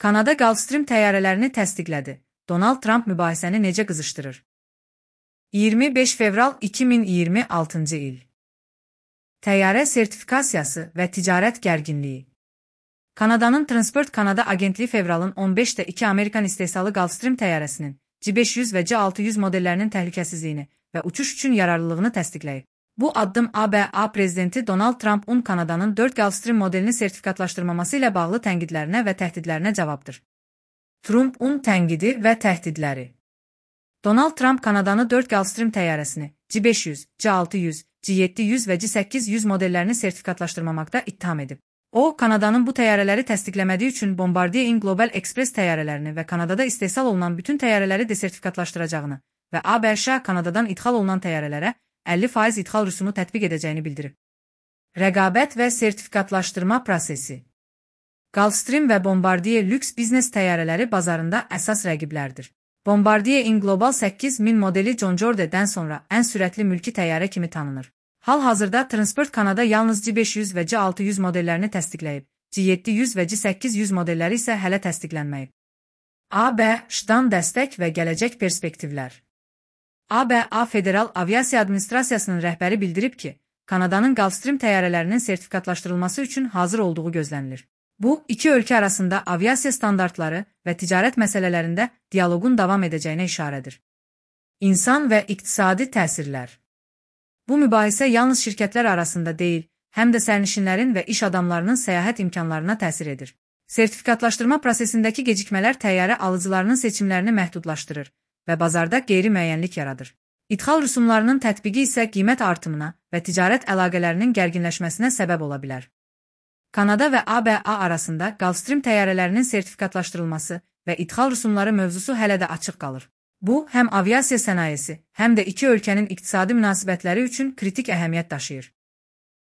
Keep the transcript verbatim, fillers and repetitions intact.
Kanada Gulfstream təyyarələrini təsdiqlədi. Donald Trump mübahisəni necə qızışdırır? iyirmi beş fevral iki min iyirmi altıncı il. Təyyarə sertifikasiyası və ticarət gərginliyi. Kanadanın Transport Canada agentliyi fevralın on beşdə iki Amerikan istehsalı Gulfstream təyyarəsinin C beş yüz və C altı yüz modellərinin təhlükəsizliyini və uçuş üçün yararlılığını təsdiqləyib. Bu addım A B A prezidenti Donald Trump'un Kanadanın dörd Gulfstream modelini sertifikatlaşdırmaması ilə bağlı tənqidlərinə və təhdidlərinə cavabdır. Trump'un tənqidi və təhdidləri. Donald Trump Kanadanı dörd Gulfstream təyyarəsini C beş yüz, C altı yüz, C yeddi yüz və C səkkiz yüz modellərini sertifikatlaşdırmamaqda ittiham edib. O, Kanadanın bu təyyarələri təsdiqləmədiyi üçün Bombardier Global Express təyyarələrini və Kanadada istehsal olunan bütün təyyarələri desertifikatlaşdıracağını və A B Ş Kanadadan idxal olunan təyyarələrə əlli faiz idxal rüsumu tətbiq edəcəyini bildirib. Rəqabət və sertifikatlaşdırma prosesi. Gulfstream və Bombardier lüks biznes təyyarələri bazarında əsas rəqiblərdir. Bombardier Global səkkiz min modeli John Jordan-dən sonra ən sürətli mülki təyyarə kimi tanınır. Hal-hazırda Transport Canada yalnız C beş yüz və C altı yüz modellərini təsdiqləyib, C yeddi yüz və C səkkiz yüz modelləri isə hələ təsdiqlənməyib. A B Ş-dan dəstək və gələcək perspektivlər. A B A Federal Aviasiya Administrasiyasının rəhbəri bildirib ki, Kanadanın Gulfstream təyyarələrinin sertifikatlaşdırılması üçün hazır olduğu gözlənilir. Bu, iki ölkə arasında aviasiya standartları və ticarət məsələlərində dialoqun davam edəcəyinə işarədir. İnsan və iqtisadi təsirlər. Bu mübahisə yalnız şirkətlər arasında deyil, həm də sərnişinlərin və iş adamlarının səyahət imkanlarına təsir edir. Sertifikatlaşdırma prosesindəki gecikmələr təyyarə alıcılarının seçimlərini məhdudlaşdırır və bazarda qeyri-müəyyənlik yaradır. İdxal rüsumlarının tətbiqi isə qiymət artımına və ticarət əlaqələrinin gərginləşməsinə səbəb ola bilər. Kanada və A B A arasında Gulfstream təyyarələrinin sertifikatlaşdırılması və idxal rüsumları mövzusu hələ də açıq qalır. Bu, həm aviasiya sənayesi, həm də iki ölkənin iqtisadi münasibətləri üçün kritik əhəmiyyət daşıyır.